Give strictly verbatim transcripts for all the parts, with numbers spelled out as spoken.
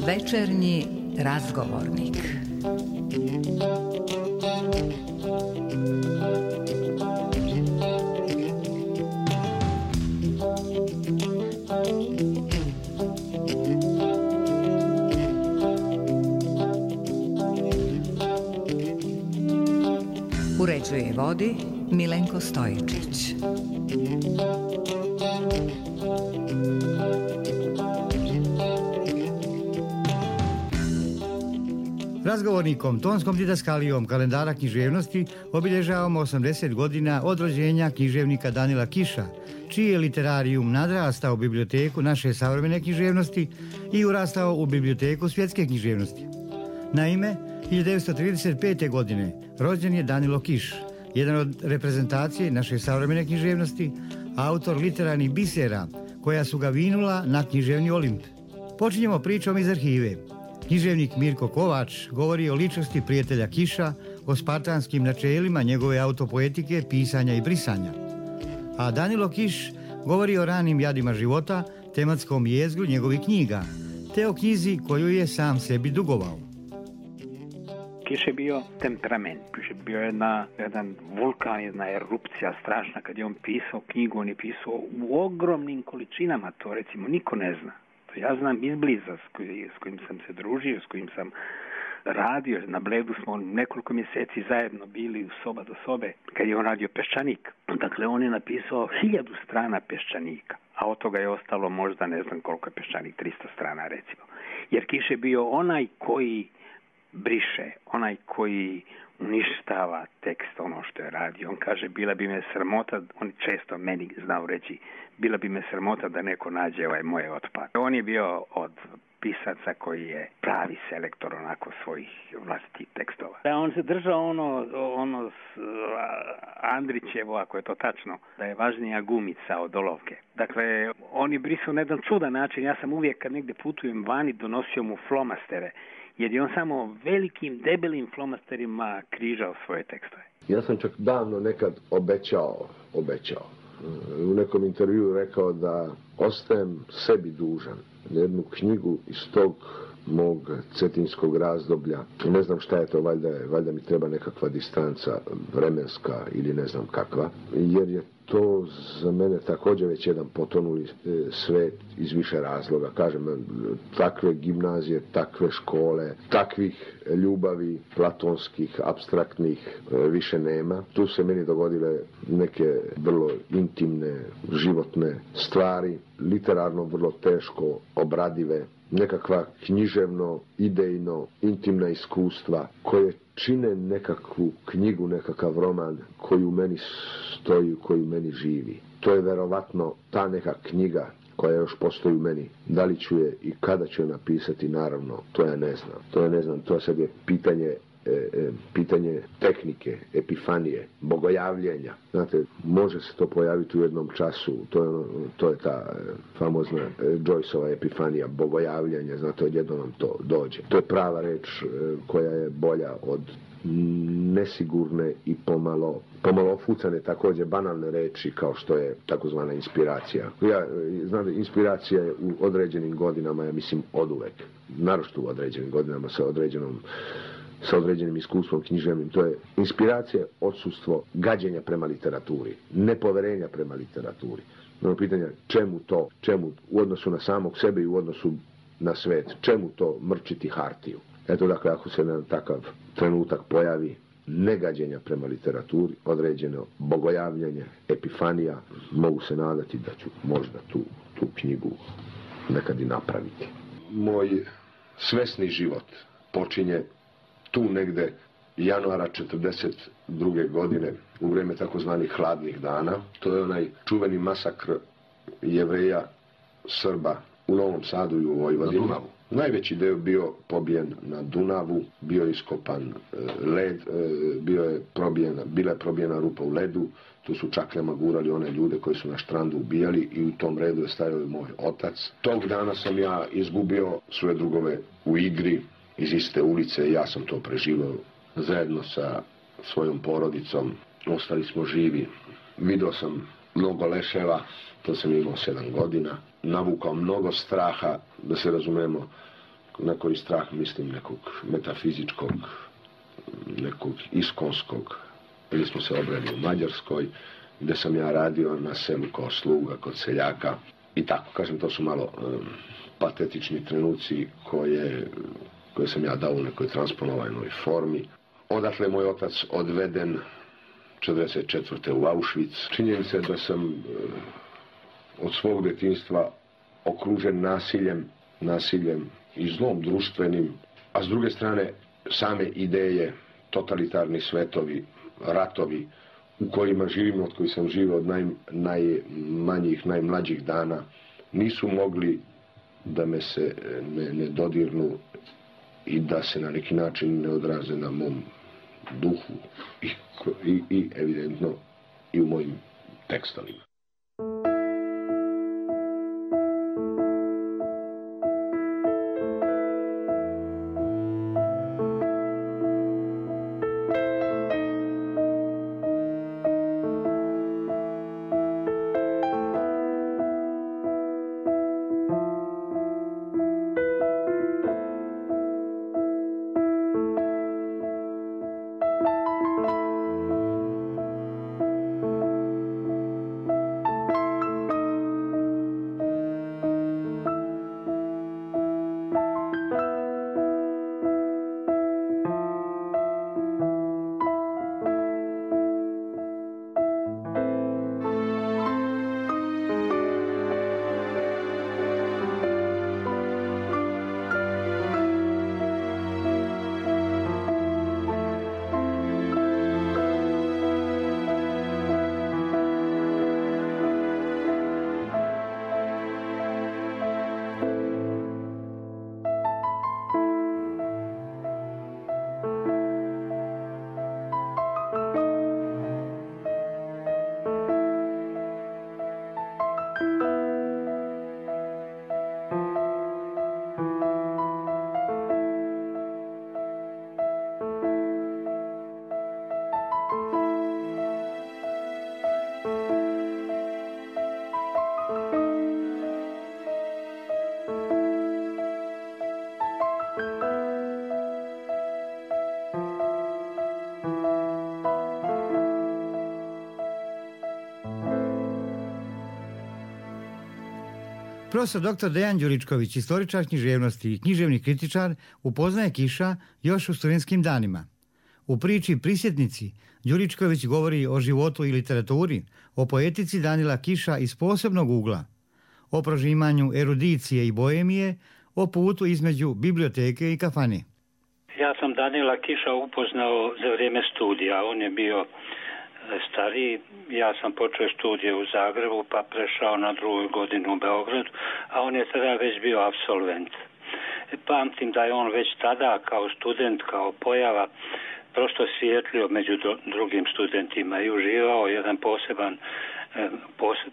Večernji razgovornik. Uređuje i vodi Milenko Stojičić. Razgovornikom, tonskom didaskalijom kalendara književnosti obilježavamo osamdeset godina od rođenja književnika Danila Kiša, čiji je literarijum nadrastao u biblioteku naše savremene književnosti i urastao u biblioteku svjetske književnosti. Naime, hiljadu devetsto trideset pete. godine rođen je Danilo Kiš, jedan od reprezentacije naše savremene književnosti, autor literarnih bisera koja su ga vinula na književni Olimp. Počinjemo pričom iz arhive. Književnik Mirko Kovač govori o ličnosti prijatelja Kiša, o spartanskim načelima njegove autopoetike, pisanja i brisanja. A Danilo Kiš govori o ranim jadima života, tematskom jezgru njegovih knjiga, te o knjizi koju je sam sebi dugovao. Kiš je bio temperament, Kiš je bio jedna, jedan vulkan, jedna erupcija strašna. Kad je on pisao knjigu, on je pisao u ogromnim količinama, to recimo niko ne zna. To ja znam izbliza s, koj, s kojim sam se družio, s kojim sam radio. Na Bledu smo nekoliko mjeseci zajedno bili u soba do sobe kad je on radio Peščanik. Dakle, on je napisao hiljadu strana Peščanika, a od toga je ostalo možda ne znam koliko je Peščanik, tristo strana recimo. Jer Kiš je bio onaj koji briše, onaj koji uništava tekst, ono što je radio. On kaže, bila bi me sramota, on često meni znao reći, bila bi me sramota da neko nađe ovaj moje otpad. On je bio od pisaca koji je pravi selektor onako svojih vlastitih tekstova. Da, on se držao ono, ono s, Andrićevo, ako je to tačno, da je važnija gumica od olovke. Dakle, on je brisao na jedan čudan način. Ja sam uvijek kad negdje putujem vani donosio mu flomastere, jer je on samo velikim, debelim flomasterima križao svoje tekstove. Ja sam čak davno nekad obećao, obećao, u nekom intervjuu rekao da ostajem sebi dužan jednu knjigu iz tog mog cetinskog razdoblja. Ne znam šta je to, valjda, valjda mi treba nekakva distanca vremenska ili ne znam kakva, jer je to za mene također već jedan potonuli svet iz više razloga. Kažem, takve gimnazije, takve škole, takvih ljubavi platonskih, apstraktnih više nema. Tu se meni dogodile neke vrlo intimne, životne stvari, literarno vrlo teško obradive, nekakva književno, idejno, intimna iskustva koje čine nekakvu knjigu, nekakav roman koji u meni stoji, koji u meni živi. To je verovatno ta neka knjiga koja još postoji u meni. Da li ću je i kada ću je napisati, naravno, to ja ne znam. To ja ne znam, to sad je pitanje E, e, pitanje tehnike, epifanije, bogojavljenja. Znate, može se to pojaviti u jednom času, to je, ono, to je ta e, famozna e, Joyceova epifanija, bogojavljenja, znate, odjednom vam to dođe. To je prava reč e, koja je bolja od nesigurne i pomalo, pomalo ofucane, također banalne reči kao što je takozvana inspiracija. Ja, znate, inspiracija je u određenim godinama, ja mislim, oduvek. Naročito u određenim godinama sa određenom sa određenim iskustvom književnim. To je inspiracija, odsustvo gađenja prema literaturi, nepoverenja prema literaturi. Ono pitanje, čemu to, čemu u odnosu na samog sebe i u odnosu na svet, čemu to mrčiti hartiju. Eto, dakle, ako se na takav trenutak pojavi negađenja prema literaturi, određeno bogojavljanje, epifanija, mogu se nadati da ću možda tu, tu knjigu nekad i napraviti. Moj svesni život počinje tu negde januara četrdeset druge. godine u vrijeme takozvanih hladnih dana. To je onaj čuveni masakr Jevreja, Srba u Novom Sadu i u Vojvodini. Najveći deo bio pobijen na Dunavu, bio je iskopan led, bio je probijena, bila je probijena rupa u ledu, tu su čakljama gurali one ljude koji su na štrandu ubijali i u tom redu je stajao i moj otac. Tog dana sam ja izgubio svoje drugove u igri iz iste ulice i ja sam to preživao zajedno sa svojom porodicom. Ostali smo živi. Vidio sam mnogo leševa, to sam imao sedam godina. Navukao mnogo straha, da se razumemo, na koji strah mislim nekog metafizičkog, nekog iskonskog. Bili smo se obrali u Mađarskoj, gde sam ja radio na selu kao sluga kod seljaka. I tako, kažem, to su malo um, patetični trenuci koje, koje sam ja dao u nekoj transponovanoj formi. Odatle je moj otac odveden četrdeset četvrte u Auschwitz. Činjenica je da sam uh, od svog detinjstva okružen nasiljem, nasiljem i zlom društvenim, a s druge strane same ideje, totalitarni svetovi, ratovi u kojima živimo, od kojih sam živio od naj, najmanjih, najmlađih dana, nisu mogli da me se ne, ne dodirnu i da se na neki način ne odraze na mom duhu i, i, i evidentno i u mojim tekstovima. Profesor doktor Dejan Đuričković, istoričar književnosti i književni kritičar, upoznaje Kiša još u studentskim danima. U priči Prisjetnici Đuričković govori o životu i literaturi, o poetici Danila Kiša iz posebnog ugla, o prožimanju erudicije i boemije, o putu između biblioteke i kafane. Ja sam Danila Kiša upoznao za vrijeme studija. On je bio stariji. Ja sam počeo studije u Zagrebu, pa prešao na drugu godinu u Beogradu, a on je tada već bio apsolvent. Pamtim da je on već tada kao student, kao pojava, prosto svijetlio među drugim studentima i uživao jedan poseban,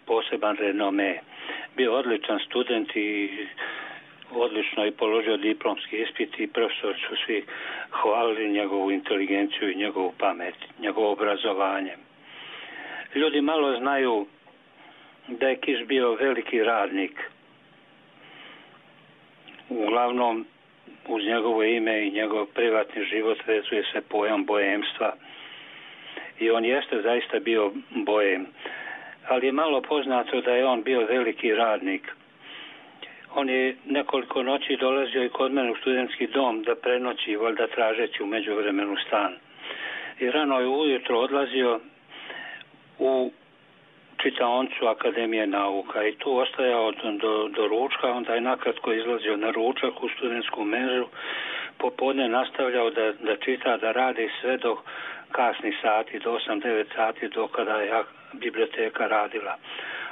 poseban renome. Bio odličan student i odlično i položio diplomski ispit i profesori su svi hvalili njegovu inteligenciju i njegovu pamet, njegovo obrazovanje. Ljudi malo znaju da je Kiš bio veliki radnik. Uglavnom, uz njegovo ime i njegov privatni život vezuje se pojam boemstva. I on jeste zaista bio boem. Ali je malo poznato da je on bio veliki radnik. On je nekoliko noći dolazio i kod mene u studentski dom da prenoći, valjda tražeći u međuvremenu stan. I rano je ujutro odlazio u čitaonicu Akademije nauka i tu ostajao do, do ručka, onda je nakratko izlazio na ručak u studentsku menžu, popodne nastavljao da, da čita, da radi sve do kasnih sati, do osam devet sati, do kada je biblioteka radila.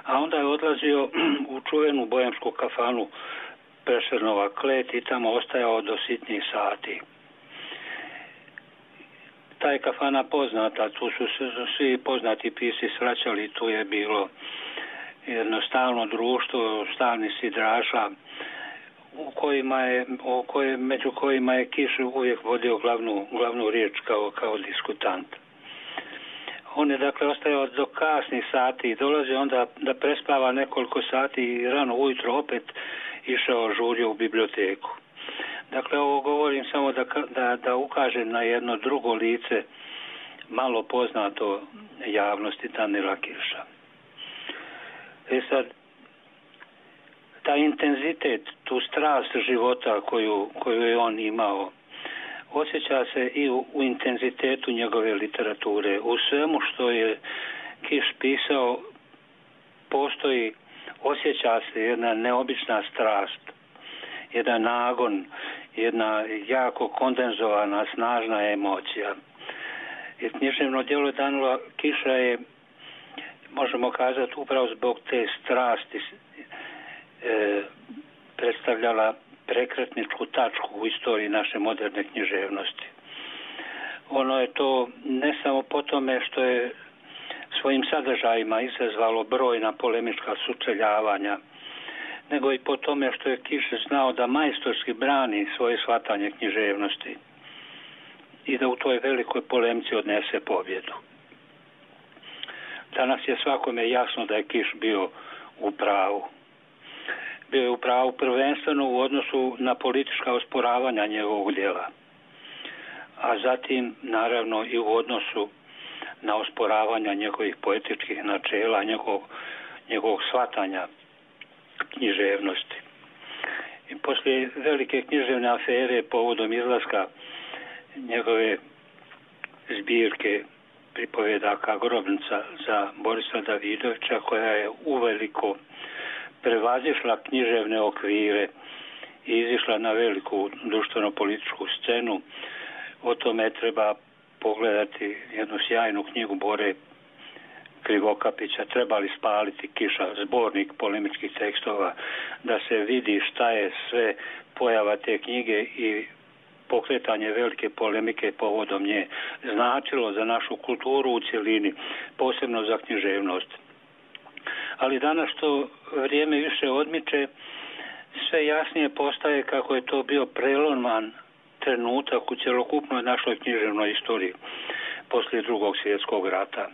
A onda je odlazio u čuvenu boemsku kafanu Prešernova Klet i tamo ostajao do sitnih sati. Ta je kafana poznata, tu su se svi poznati pisci svraćali, tu je bilo jedno stalno društvo, stalni sidraša, u kojima je, u koje, među kojima je Kiš uvijek vodio glavnu, glavnu riječ kao, kao diskutant. On je dakle ostajao do kasnih sati i dolazi onda da prespava nekoliko sati i rano ujutro opet išao žurio u biblioteku. Dakle, ovo govorim samo da, da, da ukažem na jedno drugo lice malo poznato javnosti Danila Kiša. E sad, taj intenzitet, tu strast života koju, koju je on imao, osjeća se i u, u intenzitetu njegove literature. U svemu što je Kiš pisao postoji, osjeća se jedna neobična strast, jedan nagon, jedna jako kondenzovana, snažna emocija. I književno djelo Danila Kiša je, možemo kazati, upravo zbog te strasti e, predstavljala prekretničku tačku u istoriji naše moderne književnosti. Ono je to ne samo po tome što je svojim sadržajima izazvalo brojna polemička sučeljavanja, nego i po tome što je Kiš znao da majstorski brani svoje shvatanje književnosti i da u toj velikoj polemici odnese pobjedu. Danas je svakome jasno da je Kiš bio u pravu. Bio je u pravu prvenstveno u odnosu na politička osporavanja njegovog djela, a zatim naravno i u odnosu na osporavanja njegovih poetičkih načela, njegovog, njegovog shvatanja književnosti. I poslije velike književne afere povodom izlaska njegove zbirke pripovedaka Grobnica za Borisa Davidovića, koja je uveliko prevazišla književne okvire i izišla na veliku društveno-političku scenu. O tome treba pogledati jednu sjajnu knjigu Bore Krivokapića, Treba li spaliti Kiša, zbornik polemičkih tekstova, da se vidi šta je sve pojava te knjige i pokretanje velike polemike povodom nje značilo za našu kulturu u cjelini, posebno za književnost. Ali danas što vrijeme više odmiče, sve jasnije postaje kako je to bio preloman trenutak u cjelokupnoj našoj književnoj istoriji poslije Drugog svjetskog rata,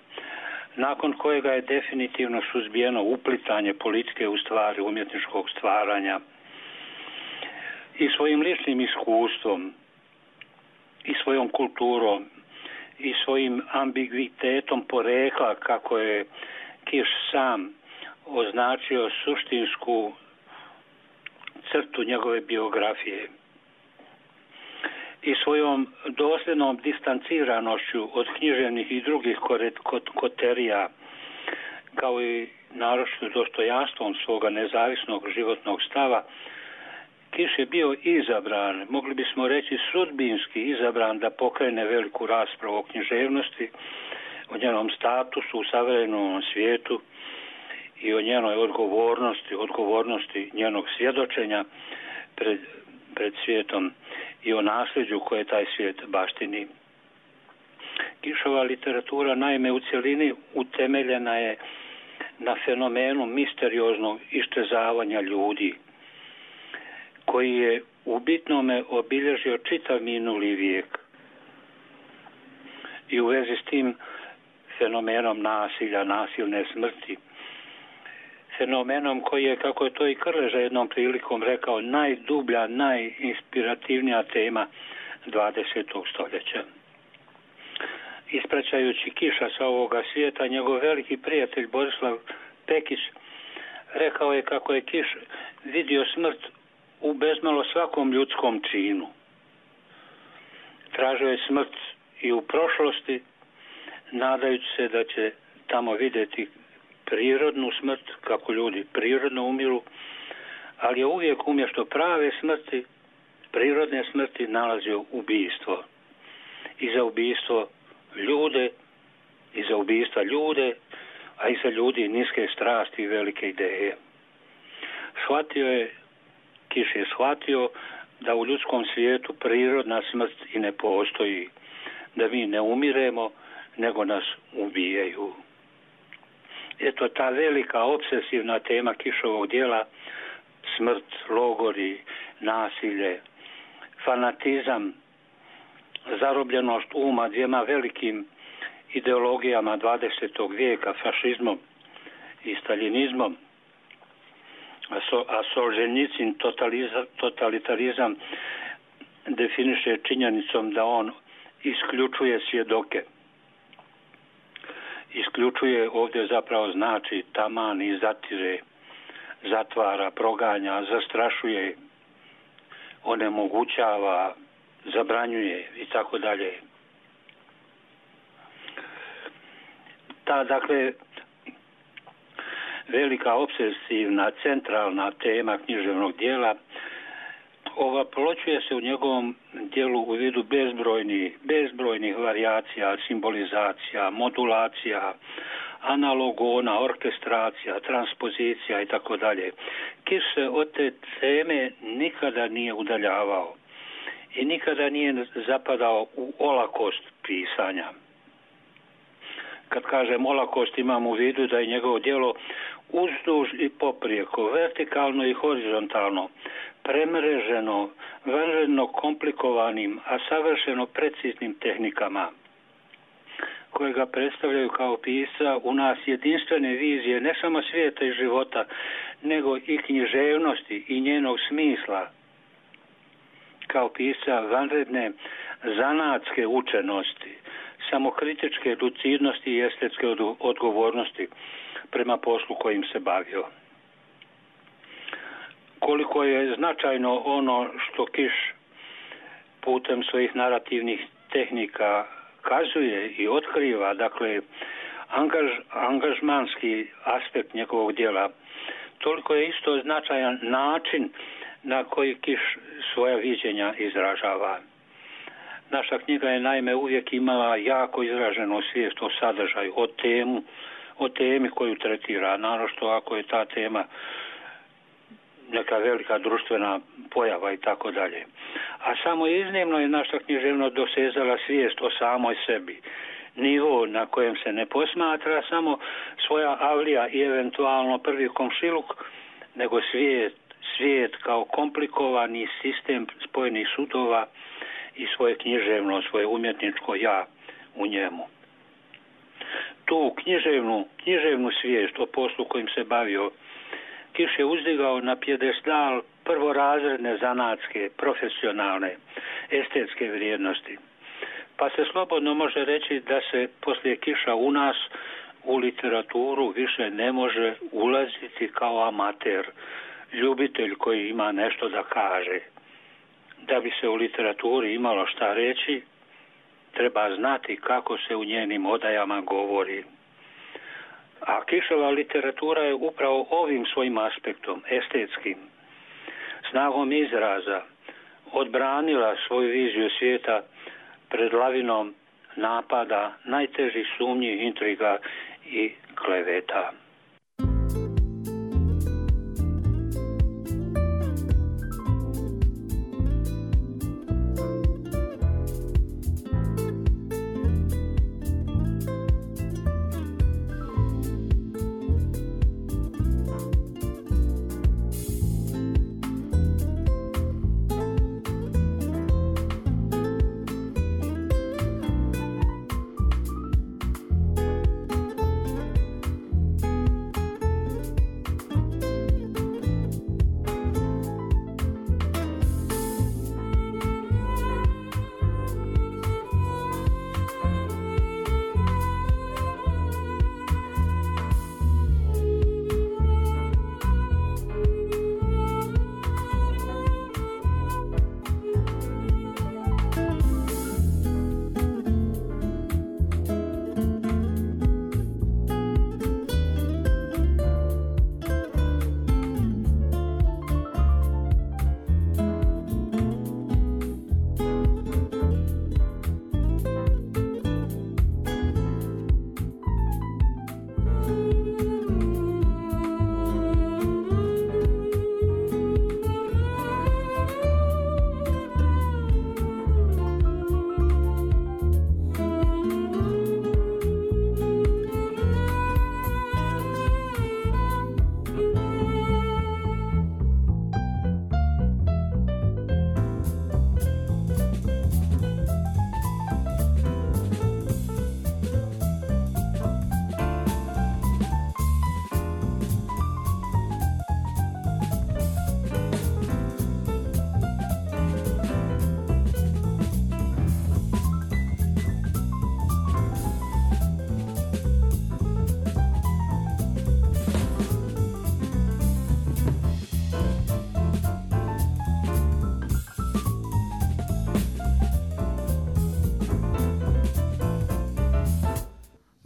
nakon kojega je definitivno suzbijeno uplitanje politike u stvari umjetničkog stvaranja. I svojim ličnim iskustvom, i svojom kulturom, i svojim ambiguitetom porekla, kako je Kiš sam označio suštinsku crtu njegove biografije, i svojom dosljednom distanciranošću od književnih i drugih koterija, kao i naročito dostojanstvom svoga nezavisnog životnog stava, Kiš je bio izabran, mogli bismo reći sudbinski izabran, da pokrene veliku raspravu o književnosti, o njenom statusu u savremenom svijetu i o njenoj odgovornosti, odgovornosti njenog svjedočenja pred, pred svijetom i o nasljeđu koje taj svijet baštini. Kišova literatura naime u cjelini utemeljena je na fenomenu misterioznog iščezavanja ljudi, koji je u bitnome obilježio čitav minuli vijek. I u vezi s tim fenomenom nasilja, nasilne smrti, fenomenom koji je, kako je to i Krleža jednom prilikom rekao, najdublja, najinspirativnija tema dvadesetog stoljeća. Ispraćajući Kiša sa ovoga svijeta, njegov veliki prijatelj Borislav Pekić rekao je kako je Kiš vidio smrt u bezmalo svakom ljudskom činu. Tražio je smrt i u prošlosti, nadajući se da će tamo vidjeti prirodnu smrt, kako ljudi prirodno umiru, ali je uvijek umjesto prave smrti, prirodne smrti, nalazio ubijstvo. I za ubijstvo ljude, i za ubijstva ljude, a i za ljudi niske strasti i velike ideje. Shvatio je, Kiš je shvatio da u ljudskom svijetu prirodna smrt i ne postoji, da mi ne umiremo, nego nas ubijaju. Eto, ta velika obsesivna tema Kišovog djela, smrt, logori, nasilje, fanatizam, zarobljenost uma dvijema velikim ideologijama dvadesetog vijeka, fašizmom i staljinizmom, a Solženjicin totalitarizam definiše činjenicom da on isključuje svjedoke. Isključuje ovdje zapravo znači taman i zatire, zatvara, proganja, zastrašuje, onemogućava, zabranjuje i tako dalje. Ta, dakle, velika obsesivna, centralna tema književnog dijela ovaploćuje se u njegovom dijelu u vidu bezbrojnih, bezbrojnih varijacija, simbolizacija, modulacija, analogona, orkestracija, transpozicija i tako dalje. Kiš se od te teme nikada nije udaljavao i nikada nije zapadao u olakost pisanja. Kad kažem olakost, imam u vidu da je njegovo djelo uzduž i poprijeko, vertikalno i horizontalno, premreženo, vanredno komplikovanim, a savršeno preciznim tehnikama, koje ga predstavljaju kao pisca u nas jedinstvene vizije ne samo svijeta i života, nego i književnosti i njenog smisla, kao pisca vanredne zanatske učenosti, samokritičke lucidnosti i estetske odgovornosti prema poslu kojim se bavio. Koliko je značajno ono što Kiš putem svojih narativnih tehnika kazuje i otkriva, dakle, angaž, angažmanski aspekt njegovog djela, toliko je isto značajan način na koji Kiš svoja viđenja izražava. Naša knjiga je naime uvijek imala jako izraženu svijest o sadržaju, o temu, o temi koju tretira, naročito ako je ta tema neka velika društvena pojava i tako dalje. A samo iznimno je naša književnost dosezala svijest o samoj sebi. Nivo na kojem se ne posmatra samo svoja avlija i eventualno prvi komšiluk, nego svijet, svijet kao komplikovani sistem spojenih sudova i svoje književno, svoje umjetničko ja u njemu. Tu književnu, književnu svijest o poslu kojim se bavio Kiš je uzdigao na pjedestal prvorazredne zanatske, profesionalne, estetske vrijednosti. Pa se slobodno može reći da se poslije Kiša u nas u literaturu više ne može ulaziti kao amater, ljubitelj koji ima nešto da kaže. Da bi se u literaturi imalo šta reći, treba znati kako se u njenim odajama govori. A Kišova literatura je upravo ovim svojim aspektom, estetskim, snagom izraza, odbranila svoju viziju svijeta pred lavinom napada, najtežih sumnji, intriga i kleveta.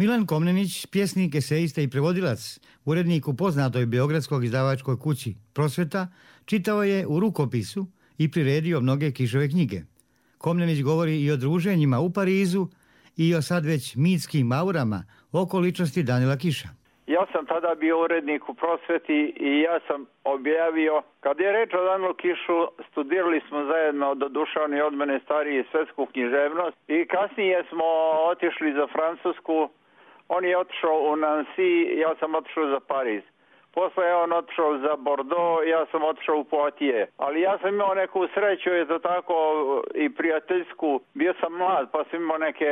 Milan Komnenić, pjesnik, esejista i prevodilac, urednik u poznatoj beogradskoj izdavačkoj kući Prosveta, čitao je u rukopisu i priredio mnoge Kišove knjige. Komnenić govori i o druženjima u Parizu i o sad već mitskim aurama oko ličnosti Danila Kiša. Ja sam tada bio urednik u Prosveti i ja sam objavio, kad je reč o Danilu Kišu, studirali smo zajedno, doduše on je od mene stariji, svetsku književnost i kasnije smo otišli za Francusku. On je otišao u Nancy, ja sam otišao za Pariz. Posle je on otišao za Bordeaux, ja sam otišao u Poitiers. Ali ja sam imao neku sreću, je to tako, i prijateljsku. Bio sam mlad, pa sam imao neke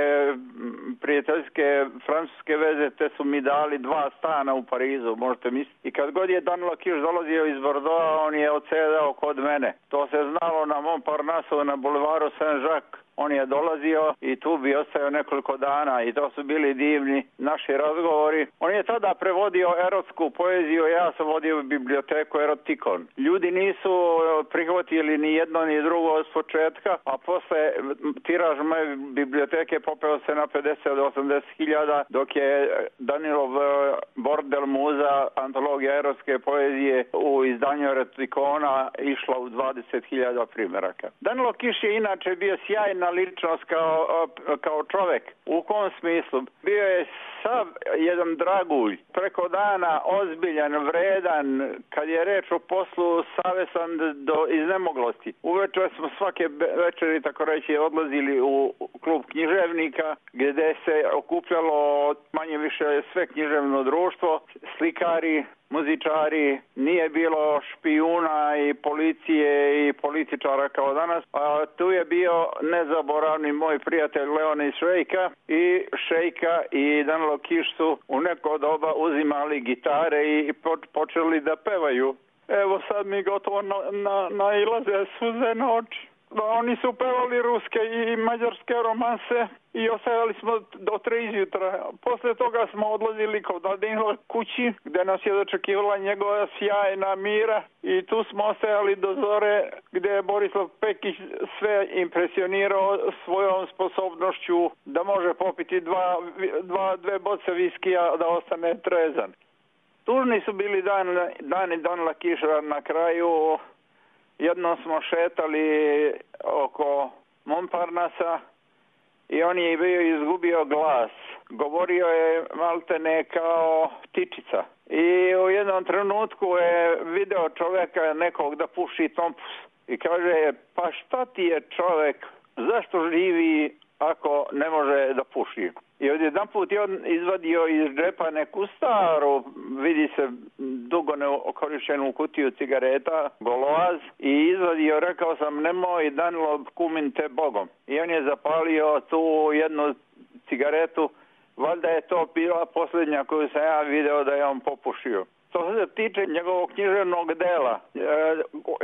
prijateljske francuske veze, te su mi dali dva stana u Parizu, možete misliti. I kad god je Danilo Kiš dolazio iz Bordeauxa, on je odsedao kod mene. To se znalo na Montparnasse, na bulevaru Saint-Jacques. On je dolazio i tu bi ostao nekoliko dana i to su bili divni naši razgovori. On je tada prevodio erotsku poeziju, ja sam vodio biblioteku Erotikon. Ljudi nisu prihvatili ni jedno ni drugo od početka, a posle tiraž moje biblioteke popeo se na pedeset do osamdeset hiljada, dok je Danilov Bordel muza, antologija erotske poezije u izdanju Erotikona išla u dvadeset hiljada primjeraka. Danilo Kiš je inače bio sjajna ličnost kao, kao čovek. U kom smislu? Bio je sav jedan dragulj, preko dana ozbiljan, vredan, kad je reč o poslu savesan do iznemoglosti. Uveče smo svake večeri, tako reći, odlazili u klub književnika, gdje se okupljalo manje više sve književno društvo, slikari, muzičari, nije bilo špijuna i policije i političara kao danas. A tu je bio nezaboravni moj prijatelj Leonid Šejka i Šejka i Danilo Kiš su u neko doba uzimali gitare i počeli da pevaju. Evo sad mi gotovo na, na, nailaze suze na oči. Oni su pevali ruske i mađarske romanse i ostajali smo do tri izjutra. Posle toga smo odlazili kod Danila kući, gde nas je dočekivala njegova sjajna Mira i tu smo ostajali do zore, gde je Borislav Pekić sve impresionirao svojom sposobnošću da može popiti dva, dva, dve boce viskija da ostane trezan. Tužni su bili dan, dani Danila Kiša na kraju. Jednom smo šetali oko Montparnassa i on je bio izgubio glas. Govorio je maltene kao ptičica. I u jednom trenutku je video čoveka nekog da puši tompus. I kaže, pa šta ti je čovek, zašto živi ako ne može da puši? I odjedan put je on izvadio iz džepa neku staru, vidi se dugo neokorištenu kutiju cigareta, goloaz, i izvadio, rekao sam, nemoj Danilo, kumim te Bogom. I on je zapalio tu jednu cigaretu, valjda je to bila posljednja koju sam ja video da je on popušio. Što se tiče njegovog književnog dela,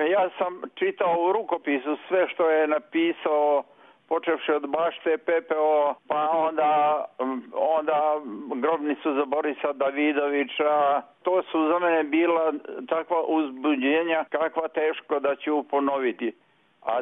ja sam čitao u rukopisu sve što je napisao, počevši od Bašte, Pepeo, pa onda, onda Grobnicu za Borisa Davidovića. To su za mene bila takva uzbuđenja kakva teško da ću ponoviti. A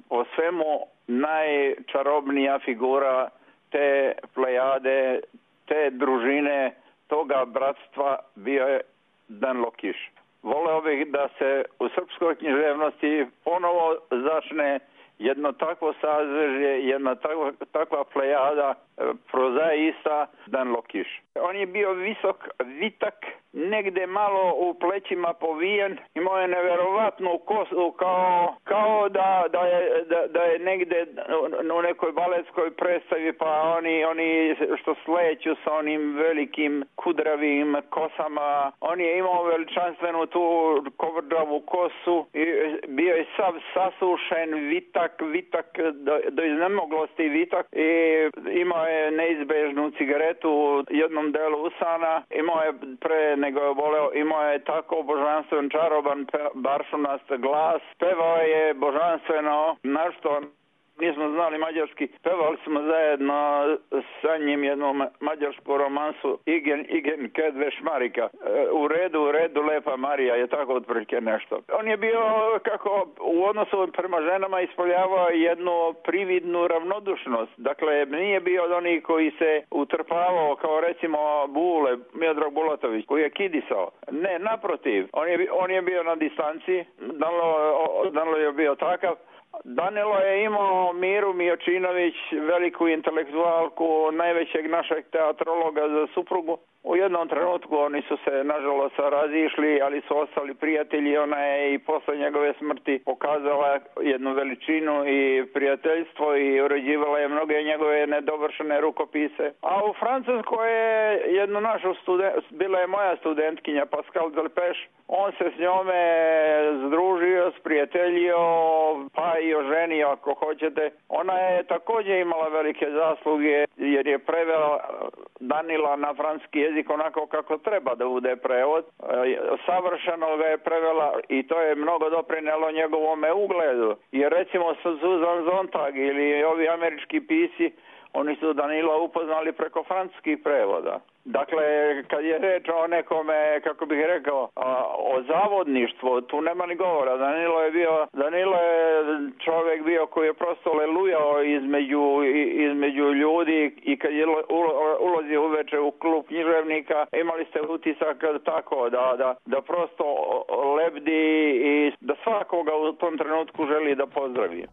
po svemu najčarobnija figura te plejade, te družine, toga bratstva bio je Danilo Kiš. Voleo bih da se u srpskoj književnosti ponovo začne jedno takvo sazvežje, jedna takva, takva plejada prozaista Danilo Kiš. On je bio visok, vitak, negde malo u plećima povijen, imao je neverovatnu kosu kao, kao da, da, je, da, da je negde u nekoj baletskoj predstavi, pa oni, oni što sleću sa onim velikim kudravim kosama. On je imao veličanstvenu tu kovrđavu kosu i bio je sav sasušen, vitak, vitak do, do iznemoglosti vitak i imao je neizbežnu cigaretu u jednom delu usana, imao je pre nego je voleo, imao je tako božanstven, čaroban, baršunast glas, pevao je božanstveno, našto nismo znali mađarski, pevali smo zajedno sa njim jednu mađarsku romansu Igen, Igen, Kedve Šmarika. U redu, u redu, lepa Marija, je tako otprilike nešto. On je bio, kako u odnosu prema ženama ispoljavao jednu prividnu ravnodušnost. Dakle, nije bio od onih koji se utrpavao kao recimo Bule, Miodrag Bulatović, koji je kidisao. Ne, naprotiv, on je, on je bio na distanci, Danilo, Danilo je bio takav. Danilo je imao Miru Mijočinović, veliku intelektualku, najvećeg našeg teatrologa za suprugu. U jednom trenutku oni su se nažalost razišli, ali su ostali prijatelji. Ona je i posle njegove smrti pokazala jednu veličinu i prijateljstvo i uređivala je mnoge njegove nedovršene rukopise. A u Francuskoj je jednu našu student, bila je moja studentkinja Pascal Delpeš. On se s njome združio, sprijateljio, pa i oženio ako hoćete. Ona je također imala velike zasluge jer je prevela Danila na francuski jezik onako kako treba da bude prevod. Savršeno ga je prevela i to je mnogo doprinelo njegovome ugledu. Jer recimo Susan Sontag ili ovi američki pisci, oni su Danila upoznali preko francuskih prevoda. Dakle, kad je reč o nekome, kako bih rekao, o zavodništvu, tu nema ni govora. Danilo je bio, Danilo je čovjek bio koji je prosto lelujao između, između ljudi i kad je ulazio uveče u klub književnika, imali ste utisak tako da, da, da prosto lebdi i da svakoga u tom trenutku želi da pozdravi.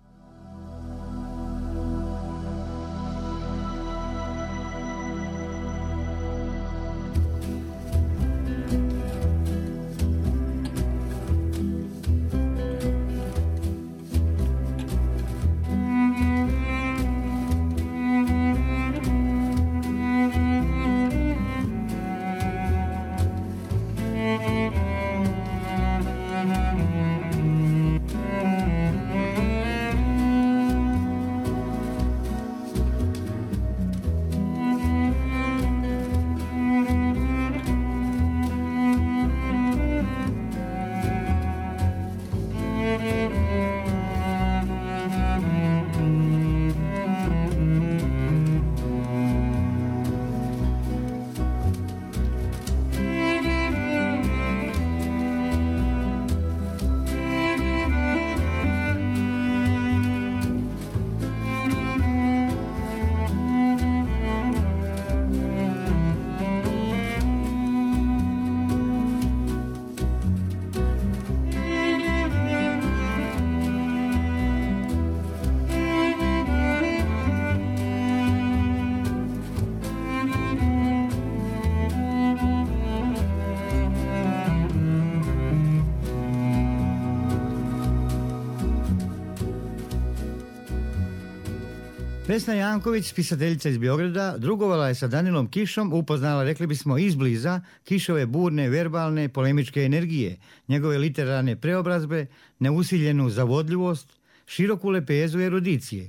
Vesna Janković, pisateljica iz Beograda, drugovala je sa Danilom Kišom, upoznala, rekli bismo, izbliza Kišove burne, verbalne, polemičke energije, njegove literarne preobrazbe, neusiljenu zavodljivost, široku lepezu erudicije.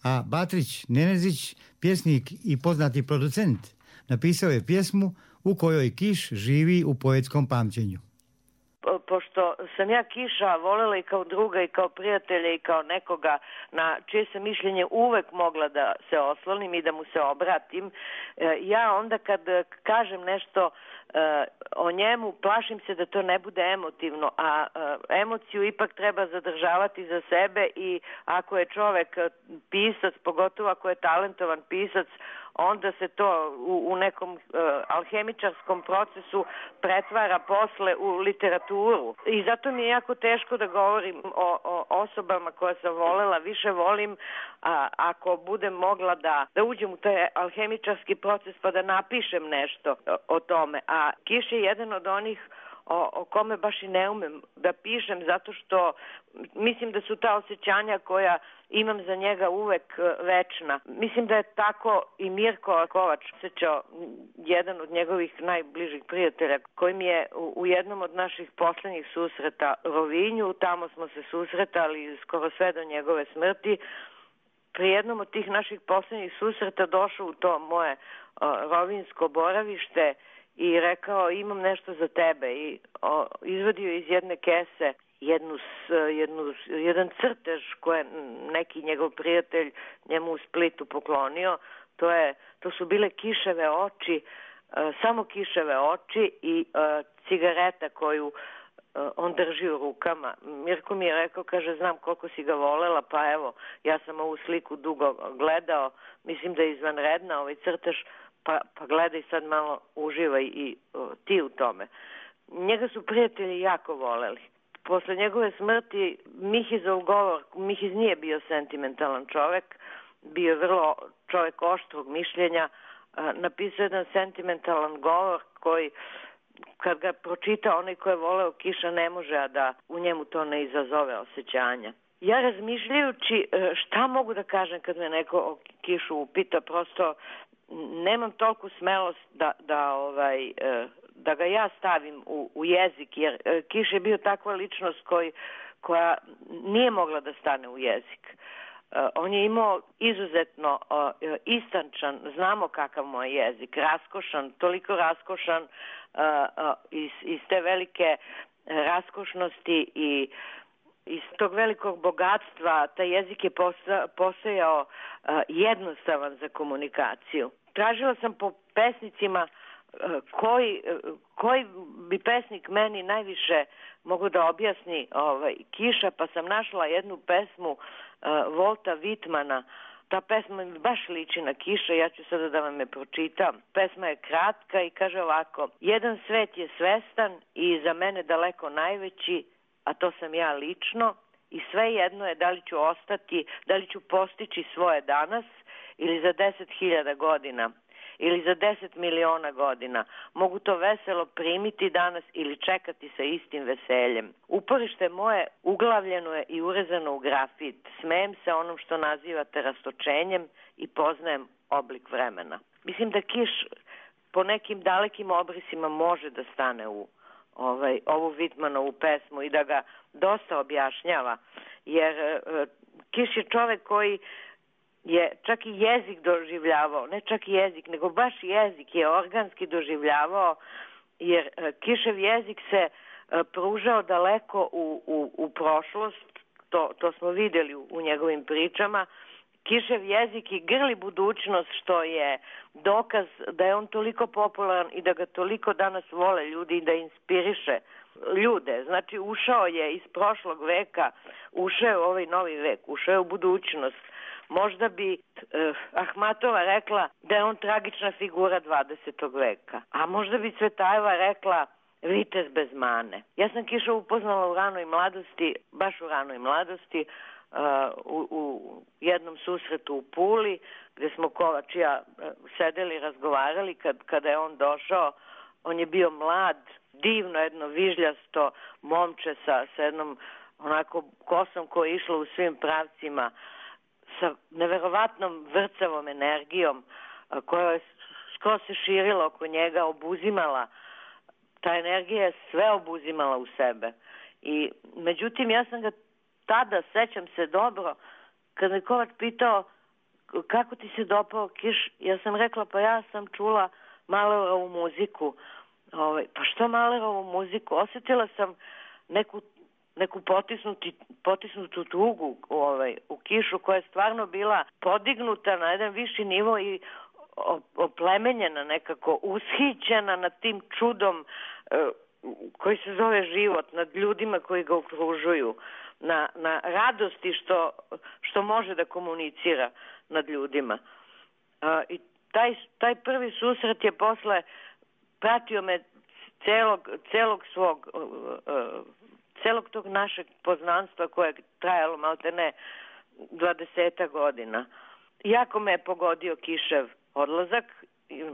A Batrić Nenezić, pjesnik i poznati producent, napisao je pjesmu u kojoj Kiš živi u poetskom pamćenju. Pošto sam ja Kiša volela i kao druga i kao prijatelja i kao nekoga na čije sam mišljenje uvek mogla da se oslonim i da mu se obratim, ja onda kad kažem nešto o njemu, plašim se da to ne bude emotivno, a emociju ipak treba zadržavati za sebe i ako je čovek pisac, pogotovo ako je talentovan pisac, onda se to u, u nekom uh, alhemičarskom procesu pretvara posle u literaturu. I zato mi je jako teško da govorim o, o osobama koje sam volela. Više volim a, ako budem mogla da, da uđem u taj alhemičarski proces pa da napišem nešto o, o tome. A Kiš je jedan od onih O, o kome baš i ne umem da pišem, zato što mislim da su ta osjećanja koja imam za njega uvek večna. Mislim da je tako i Mirko Kovač osjećao, jedan od njegovih najbližih prijatelja, koji mi je u, u jednom od naših poslednjih susreta Rovinju, tamo smo se susretali skoro sve do njegove smrti, pri jednom od tih naših poslednjih susreta došao u to moje o, rovinjsko boravište i rekao imam nešto za tebe i o, izvadio iz jedne kese jednu, jednu, jedan crtež koji je neki njegov prijatelj njemu u Splitu poklonio. To, je, to su bile kiševe oči, samo kiševe oči i cigareta koju on drži u rukama. Mirko mi je rekao, kaže, znam koliko si ga volela, pa evo, ja sam ovu sliku dugo gledao, mislim da je izvanredna ovaj crtež, pa, pa gledaj sad malo, uživaj i o, ti u tome. Njega su prijatelji jako voleli. Posle njegove smrti Mihizov govor, Mihiz nije bio sentimentalan čovek, bio je vrlo čovek oštrog mišljenja, napisao jedan sentimentalan govor koji, kad ga pročita onaj ko je voleo Kiša, ne može a da u njemu to ne izazove osjećanja. Ja razmišljajući šta mogu da kažem kad me neko o Kišu upita, prosto nemam toliko smelost da, da, ovaj, da ga ja stavim u, u jezik, jer Kiš je bio takva ličnost koji, koja nije mogla da stane u jezik. On je imao izuzetno istančan, znamo kakav mu je jezik, raskošan, toliko raskošan iz, iz te velike raskošnosti i iz tog velikog bogatstva. Taj jezik je postojao jednostavan za komunikaciju. Tražila sam po pesnicima koji, koji bi pesnik meni najviše mogu da objasni ovaj, Kiša, pa sam našla jednu pesmu Volta Vitmana. Ta pesma mi baš liči na Kiša, ja ću sada da vam je pročitam. Pesma je kratka i kaže ovako: jedan svet je svestan i za mene daleko najveći, a to sam ja lično, i sve jedno je da li ću ostati, da li ću postići svoje danas ili za deset hiljada godina ili za deset miliona godina. Mogu to veselo primiti danas ili čekati sa istim veseljem. Uporište moje uglavljeno je i urezano u grafit. Smejem se onom što nazivate rastočenjem i poznajem oblik vremena. Mislim da Kiš po nekim dalekim obrisima može da stane u ovaj, ovu Vitmanovu pesmu i da ga dosta objašnjava, jer e, Kiš je čovek koji je čak i jezik doživljavao, ne čak i jezik, nego baš jezik je organski doživljavao, jer e, Kišev jezik se e, pružao daleko u, u, u prošlost, to, to smo vidjeli u, u njegovim pričama. Kišev jezik i grli budućnost, što je dokaz da je on toliko popularan i da ga toliko danas vole ljudi i da inspiriše ljude. Znači, ušao je iz prošlog veka, ušao je u ovaj novi vek, ušao je u budućnost. Možda bi eh, Ahmatova rekla da je on tragična figura dvadesetog veka, a možda bi Cvetajeva rekla vitez bez mane. Ja sam Kiša upoznala u ranoj mladosti, baš u ranoj mladosti, Uh, u, u jednom susretu u Puli, gde smo Kovač i ja uh, sedeli i razgovarali. Kad, kada je on došao, on je bio mlad, divno jedno vižljasto momče sa, sa jednom onako kosom koja je išla u svim pravcima, sa neverovatnom vrcavom energijom uh, koja je skoro se širila oko njega, obuzimala. Ta energija je sve obuzimala u sebe. I međutim, ja sam ga tada, sećam se dobro, kad me Kovač pitao kako ti se dopao Kiš, ja sam rekla, pa ja sam čula Mahlerovu muziku. Ovaj, pa što Mahlerovu muziku? Osjetila sam neku, neku potisnuti, potisnutu tugu ovaj, u Kišu, koja je stvarno bila podignuta na jedan viši nivo i oplemenjena, nekako ushićena nad tim čudom eh, koji se zove život, nad ljudima koji ga okružuju. Na, na radosti što, što može da komunicira nad ljudima. Uh, I taj, taj prvi susret je posle pratio me celog, celog svog uh, uh, celog tog našeg poznanstva koje je trajalo maltene dvadeseta godina. Jako me je pogodio Kišev odlazak.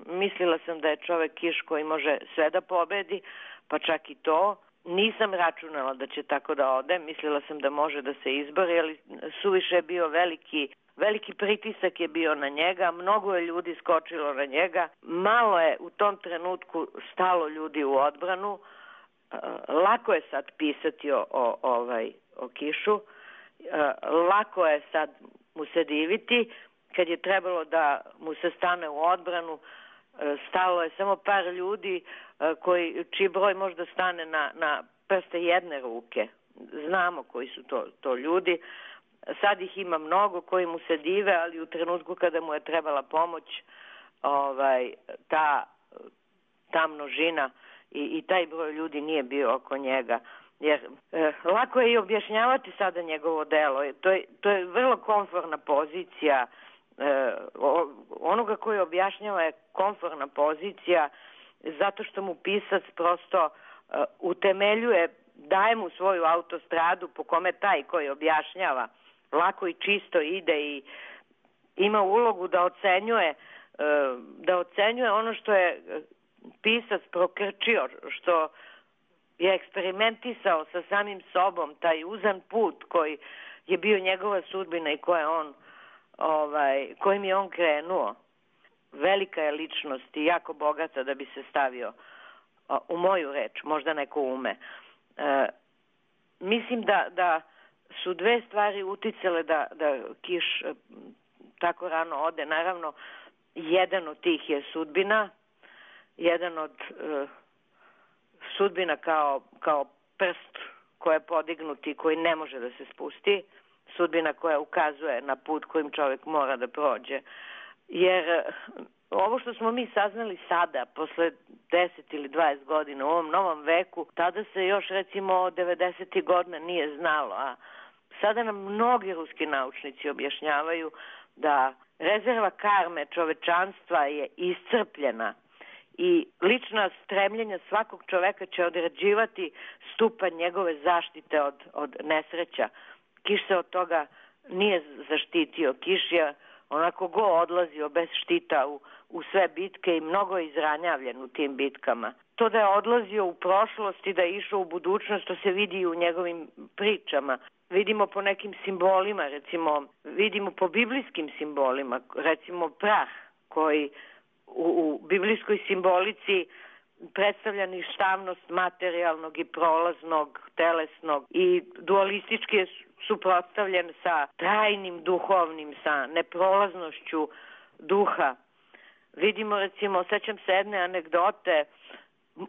Mislila sam da je čovek Kiš koji može sve da pobedi, pa čak i to. Nisam računala da će tako da ode, mislila sam da može da se izbori, ali suviše je bio veliki, veliki pritisak je bio na njega, mnogo je ljudi skočilo na njega, malo je u tom trenutku stalo ljudi u odbranu, lako je sad pisati o, o, ovaj, o Kišu, lako je sad mu se diviti, kad je trebalo da mu se stane u odbranu, stalo je samo par ljudi koji, čiji broj možda stane na, na prste jedne ruke. znamo koji su to, to ljudi. Sad ih ima mnogo koji mu se dive, ali u trenutku kada mu je trebala pomoć, ovaj, ta, ta množina i, i taj broj ljudi nije bio oko njega. Jer e, lako je i objašnjavati sada njegovo delo. To je, to je vrlo komfortna pozicija. E, o, onoga koji objašnjava je komfortna pozicija zato što mu pisac prosto e, utemeljuje, daje mu svoju autostradu po kome taj koji objašnjava lako i čisto ide i ima ulogu da ocenjuje e, da ocenjuje ono što je pisac prokrčio, što je eksperimentisao sa samim sobom, taj uzan put koji je bio njegova sudbina i koje on, ovaj, kojim je on krenuo. Velika je ličnost i jako bogata da bi se stavio u moju reč, možda neko ume. E, mislim da, da su dve stvari uticale da, da Kiš tako rano ode. Naravno, jedan od tih je sudbina, jedan od e, sudbina kao, kao prst koji je podignut i koji ne može da se spusti, sudbina koja ukazuje na put kojim čovjek mora da prođe. Jer ovo što smo mi saznali sada, posle deset ili dvadeset godina u ovom novom veku, tada se još recimo devedesetih godina nije znalo, a sada nam mnogi ruski naučnici objašnjavaju da rezerva karme čovečanstva je iscrpljena i lična stremljenja svakog čoveka će određivati stupanj njegove zaštite od, od nesreća. Kiš se od toga nije zaštitio. Kiš je onako go odlazio bez štita u, u sve bitke i mnogo je izranjavljen u tim bitkama. To da je odlazio u prošlost i da je išao u budućnost, to se vidi i u njegovim pričama. Vidimo po nekim simbolima, recimo, vidimo po biblijskim simbolima, recimo prah koji u, u biblijskoj simbolici predstavlja ništavnost materijalnog i prolaznog, telesnog i dualistički je suprotstavljen sa trajnim duhovnim, sa neprolaznošću duha. Vidimo, recimo, sećam se jedne anegdote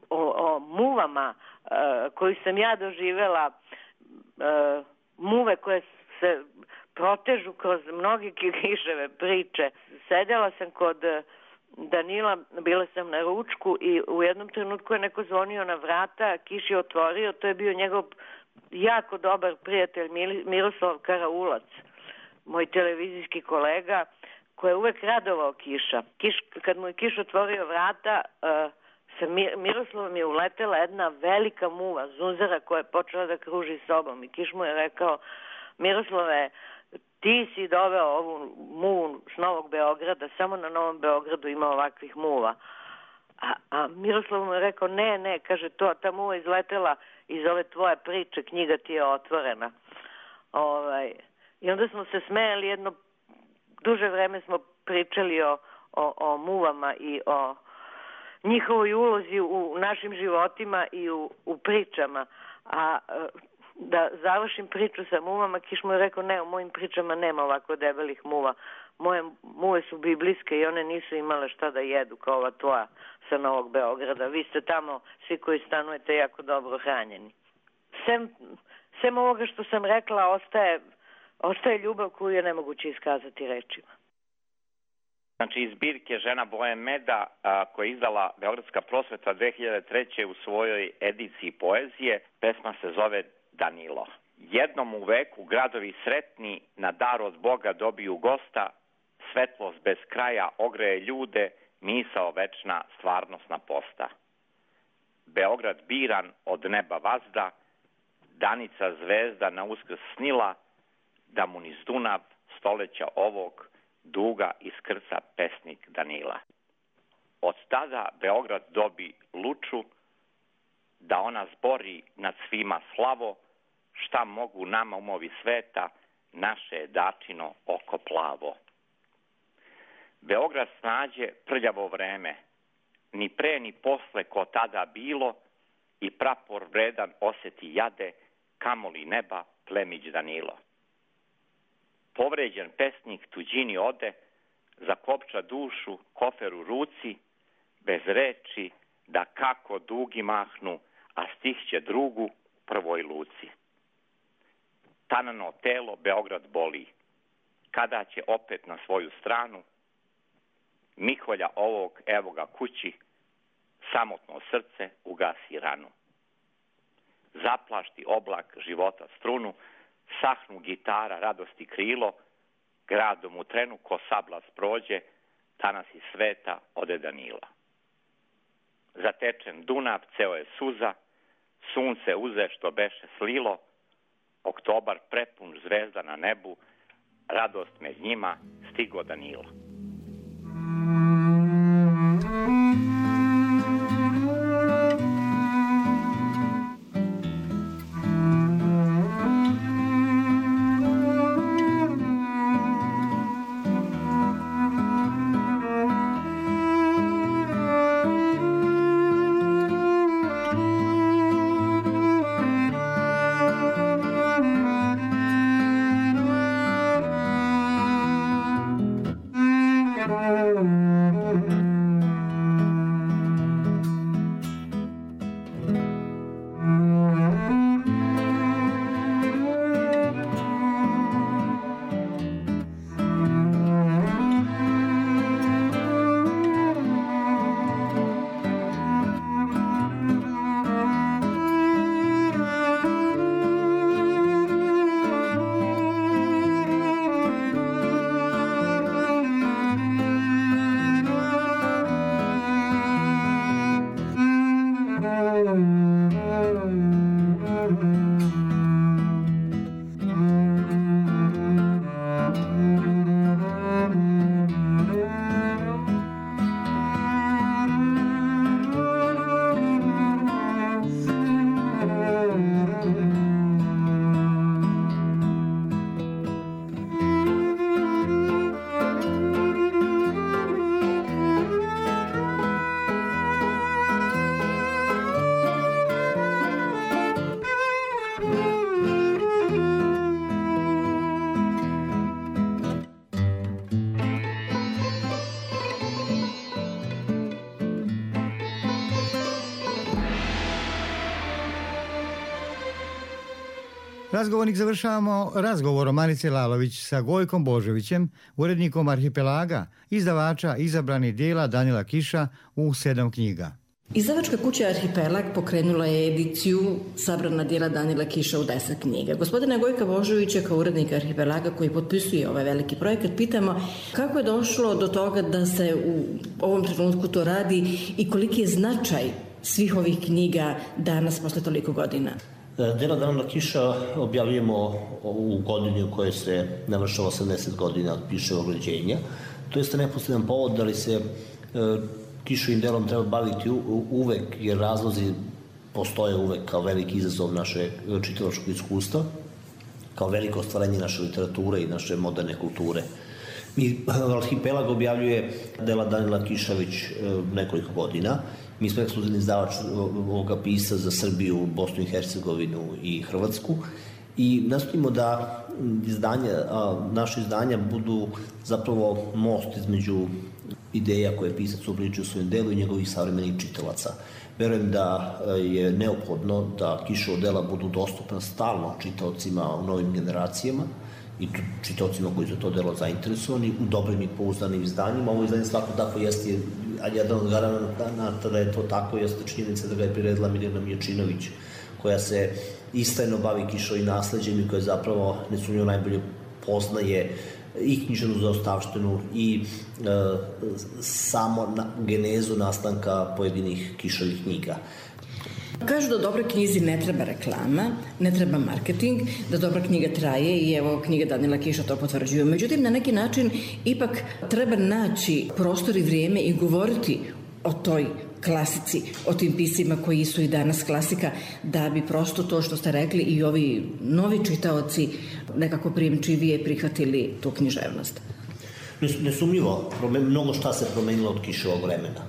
o, o muvama uh, koju sam ja doživela, uh, muve koje se protežu kroz mnoge Kiševe priče. Sedela sam kod Danila, bila sam na ručku i u jednom trenutku je neko zvonio na vrata, Kiš je otvorio, to je bio njegov jako dobar prijatelj Miroslav Karaulac, moj televizijski kolega, koji je uvek radovao Kiša. Kiš, kad mu je Kiš otvorio vrata, uh, sa Miroslavom je uletela jedna velika muva, zunzara koja je počela da kruži sobom i Kiš mu je rekao: Miroslave, ti si doveo ovu muvu s Novog Beograda, samo na Novom Beogradu ima ovakvih muva. A, a Miroslav mu je rekao: ne, ne, kaže, to, ta muva izletela iz ove tvoje priče, knjiga ti je otvorena. Ovaj, I onda smo se smejali, jedno duže vreme smo pričali o, o, o muvama i o njihovoj ulozi u našim životima i u, u pričama. A da završim priču sa muvama, Kiš mu je rekao: ne, u mojim pričama nema ovako debelih muva. Moje muve su biblijske i one nisu imale šta da jedu kao ova tvoja sa Novog Beograda. Vi ste tamo, svi koji stanujete, jako dobro hranjeni. Sem, sem ovoga što sam rekla, ostaje, ostaje ljubav koju je nemoguće iskazati rečima. Znači, iz zbirke Žena boje meda, a, koja je izdala Beogradska prosveta dve hiljade treće u svojoj ediciji poezije, pesma se zove Danilo. Jednom u veku gradovi sretni na dar od Boga dobiju gosta, svetlost bez kraja ogreje ljude, misao večna stvarnosna posta. Beograd biran od neba vazda, danica zvezda na uskrs snila, da mu niz Dunav stoleća ovog duga iskrca pesnik Danila. Od tada Beograd dobi luču, da ona zbori nad svima slavo, šta mogu nama umovi sveta, naše je dačino oko plavo. Beograd snađe prljavo vreme, ni pre ni posle ko tada bilo, i prapor vredan osjeti jade, kamoli neba plemić Danilo. Povređen pesnik tuđini ode, zakopča dušu, kofer u ruci, bez reči da kako dugi mahnu, a stih će drugu prvoj luci. Tanano telo Beograd boli. Kada će opet na svoju stranu Miholja ovog evo ga kući, samotno srce ugasi ranu. Zaplašti oblak života strunu, sahnu gitara radosti krilo, gradom u trenu ko sablas prođe, danas iz sveta ode Danila. Zatečen Dunav, ceo je suza, sunce uze što beše slilo, oktobar prepun zvezda na nebu, radost med njima stigo Danila. Razgovornik završavamo razgovorom Marice Lalović sa Gojkom Božovićem, urednikom Arhipelaga, izdavača izabranih dijela Danila Kiša u sedam knjiga. Izdavačka kuća Arhipelag pokrenula je ediciju Sabrana dijela Danila Kiša u deset knjiga. Gospodina Gojka Božovića, kao urednika Arhipelaga koji potpisuje ovaj veliki projekat, pitamo kako je došlo do toga da se u ovom trenutku to radi i koliki je značaj svih ovih knjiga danas posle toliko godina. Dela Danila Kiša objavljujemo u godini u kojoj se navršava osamdeset godina od Kiševog rođenja. To jeste neposredan povod da li se Kišovim delom treba baviti uvek, jer razlozi postoje uvek kao veliki izazov naše čitalačkog iskustva, kao veliko ostvarenje naše literature i naše moderne kulture. Mi, Arhipelag objavljuje dela Danila Kiša već nekoliko godina. Mi smo ekskluzivni izdavač ovoga pisa za Srbiju, Bosnu i Hercegovinu i Hrvatsku i nastojimo da izdanja, naše izdanja budu zapravo most između ideja koje je pisac uobličio u svojem delu i njegovih savremenih čitalaca. Verujem da je neophodno da Kišova dela budu dostupna stalno čitaocima u novim generacijama i čitaocima koji su to delo zainteresovani u dobrim i pouzdanim izdanjima. Ovo izdanje svako tako jeste, a jedan od garanata da je to tako jeste činjenica da ga je priredila Mirjana Miječinović, koja se istajno bavi Kišovim nasleđem i koja zapravo nesumnjivo najbolje poznaje i književnu zaostavštinu i e, samo na, genezu nastanka pojedinih Kišovih knjiga. Kažu da dobroj knjizi ne treba reklama, ne treba marketing, da dobra knjiga traje i evo knjiga Danila Kiša to potvrđuju. Međutim, na neki način ipak treba naći prostor i vrijeme i govoriti o toj klasici, o tim pisima koji su i danas klasika, da bi prosto to što ste rekli i ovi novi čitaoci nekako prijemčivije prihvatili tu književnost. Nesumnjivo, mnogo šta se promenilo od Kiševog vremena.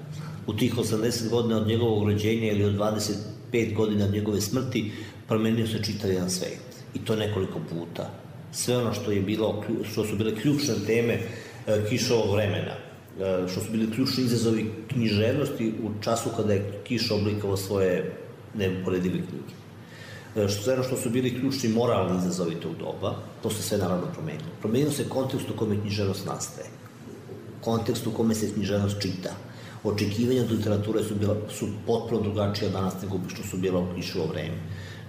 U tih osamdeset godina od njegovog rođenja ili od dvadeset pet godina od njegove smrti promenio se čitav jedan svet. I to nekoliko puta. Sve ono što je bilo, što su bile ključne teme Kiševog vremena, što su bili ključni izazovi književnosti u času kada je Kiša oblikovao svoje neuporedive knjige. što je što su bili ključni moralni izazovi tog doba, to se sve naravno promenilo. Promenilo se kontekst u kome književnost nastaje, kontekst u kome se književnost čita. Očekivanja od literature su, bila, su potpuno drugačija danas nego što su bila u Kišovo vreme.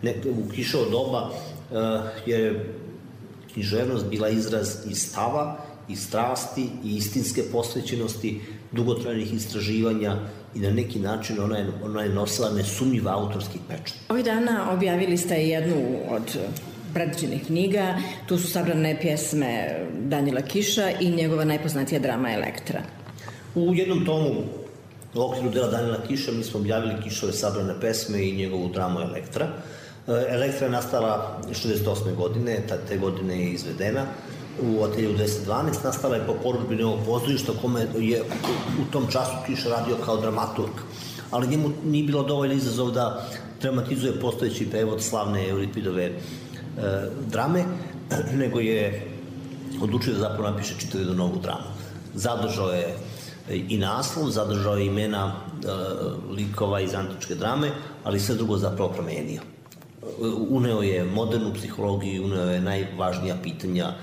Ne, u Kišovo doba uh, je književnost bila izraz i stava, i strasti, i istinske posvećenosti, dugotrajnih istraživanja i na neki način ona je, ona je nosila nesumnjiv autorski pečat. Ovih dana objavili ste jednu od predviđenih knjiga, tu su sabrane pjesme Danila Kiša i njegova najpoznatija drama Elektra. U jednom tomu u okviru dela Danila Kiša mi smo objavili Kišove sabrane pesme i njegovu dramu Elektra. Elektra je nastala šezdeset osme godine, te godine je izvedena u ateljevu deset dvanaest, nastala je po porudžbi Novog pozorišta kome je u tom času Kiša radio kao dramaturg, ali njemu nije bilo dovoljno izazov da dramatizuje postojeći prevod slavne Euripidove e, drame, nego je odlučio da zapravo napiše čitavu jednu novu dramu. Zadržao je i naslov, zadržao je imena e, likova iz antičke drame, ali sve drugo zapravo promenio. Uneo je modernu psihologiju, uneo je najvažnija pitanja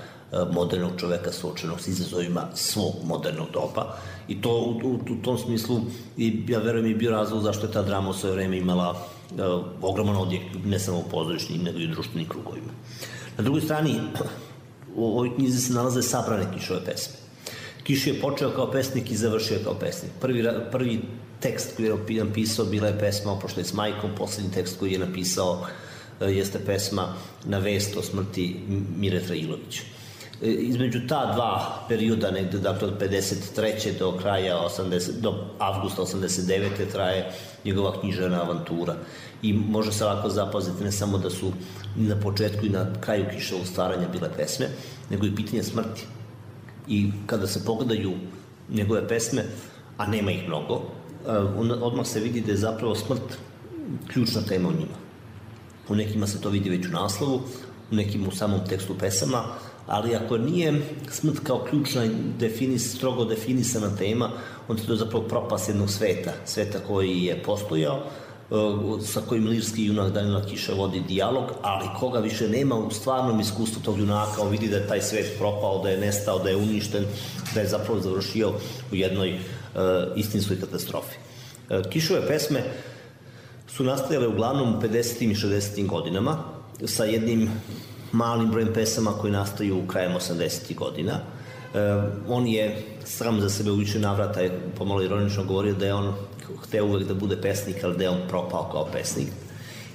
modernog čoveka suočenog s izazovima svog modernog doba i to u, u, u tom smislu i ja verujem i bio razlog zašto je ta drama u svoje vreme imala uh, ogroman odjek ne samo u pozorišnim nego i u društvenim krugovima. Na drugoj strani u ovoj knjizi se nalaze sabrane Kišove pesme. Kiš je počeo kao pesnik i završio kao pesnik. Prvi, prvi tekst koji je napisao bila je pesma Oproštaj s majkom, poslednji tekst koji je napisao uh, jeste pesma Na vest o smrti Mire Trailovića. Između ta dva perioda, negde dakle od pedeset treće do kraja osamdeset, do avgusta osamdeset devete traje njegova književna avantura. I može se lako zapaziti ne samo da su na početku i na kraju Kišovog stvaranja bile pesme, nego i pitanje smrti. I kada se pogledaju njegove pesme, a nema ih mnogo, odmah se vidi da je zapravo smrt ključna tema u njima. U nekima se to vidi već u naslovu, u nekim u samom tekstu pesama, ali ako nije smrt kao ključna definis, strogo definisana tema, onda to je zapravo propast jednog sveta, sveta koji je postojao, sa kojim lirski junak Danila Kiša vodi dijalog, ali koga više nema u stvarnom iskustvu tog junaka, on vidi da je taj svet propao, da je nestao, da je uništen, da je zapravo završio u jednoj uh, istinskoj katastrofi. Uh, Kišove pesme su nastajale uglavnom u pedesetim i šezdesetim godinama, sa jednim malim brojem pesama koji nastaju krajem osamdesetih godina. E, on je sam za sebe u više navrata je pomalo ironično govorio da je on hteo uvek da bude pesnik, ali da je on propao kao pesnik.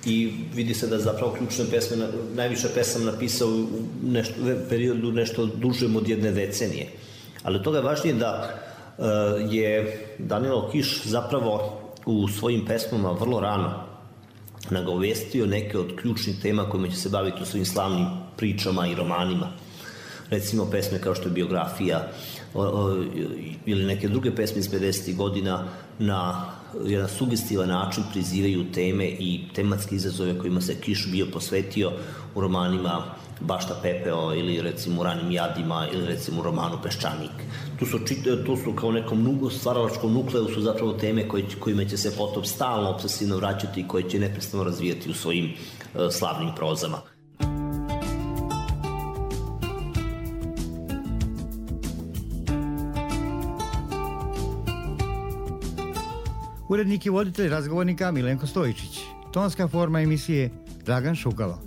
I vidi se da zapravo ključne pesme, najviše pesama napisao u nešto, periodu nešto dužem od jedne decenije. Ali od toga je važnije da e, je Danilo Kiš zapravo u svojim pesmama vrlo rano nagovestio neke od ključnih tema kojima će se baviti u svojim slavnim pričama i romanima. Recimo pesme kao što je Biografija o, o, ili neke druge pesme iz pedesetih godina na jedan sugestivan način prizivaju teme i tematske izazove kojima se Kiš bio posvetio u romanima Bašta Pepeo ili recimo u Ranim jadima ili recimo u romanu Peščanik. Tu su, tu su kao nekom stvaralačkom nukleusu zapravo teme koje, kojima će se potom stalno obsesivno vraćati i koje će neprestano razvijati u svojim uh, slavnim prozama. Urednik i voditelj razgovornika Milenko Stojičić. Tonska forma emisije Dragan Šukalo.